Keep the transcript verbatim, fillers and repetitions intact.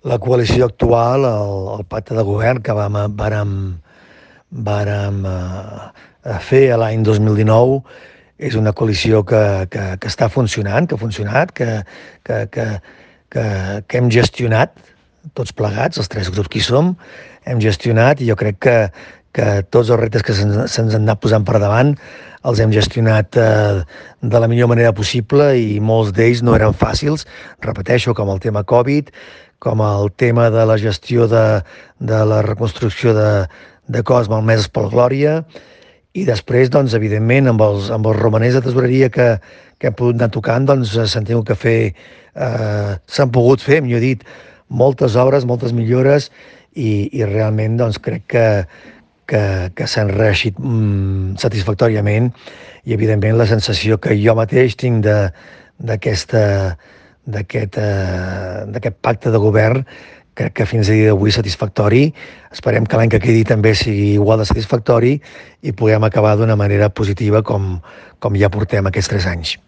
La coalició actual, el, el pacte de govern que vam, vàrem, vàrem eh, fer l'any dos mil dinou, és una coalició que, que, que està funcionant, que ha funcionat, que, que, que, que, que hem gestionat tots plegats, els tres grups que hi som, hem gestionat i jo crec que, que tots els reptes que se'ns se han anat posant per davant els hem gestionat eh, de la millor manera possible i molts d'ells no eren fàcils, repeteixo, com el tema Covid, com el tema de la gestió de, de la reconstrucció de, de cos malmeses pel Glòria, i després, doncs, evidentment, amb els, amb els romanents de tesoreria que, que hem pogut anar tocant, doncs s'han tingut que fer, eh, s'han pogut fer, millor dit, moltes obres, moltes millores, i, i realment doncs, crec que, que, que s'han reeixit mm, satisfactòriament, i evidentment la sensació que jo mateix tinc de, d'aquesta d'aquest eh, d'aquest pacte de govern, crec que fins a dia d'avui satisfactori. Esperem que l'any que quedi també sigui igual de satisfactori i puguem acabar d'una manera positiva com, com ja portem aquests tres anys.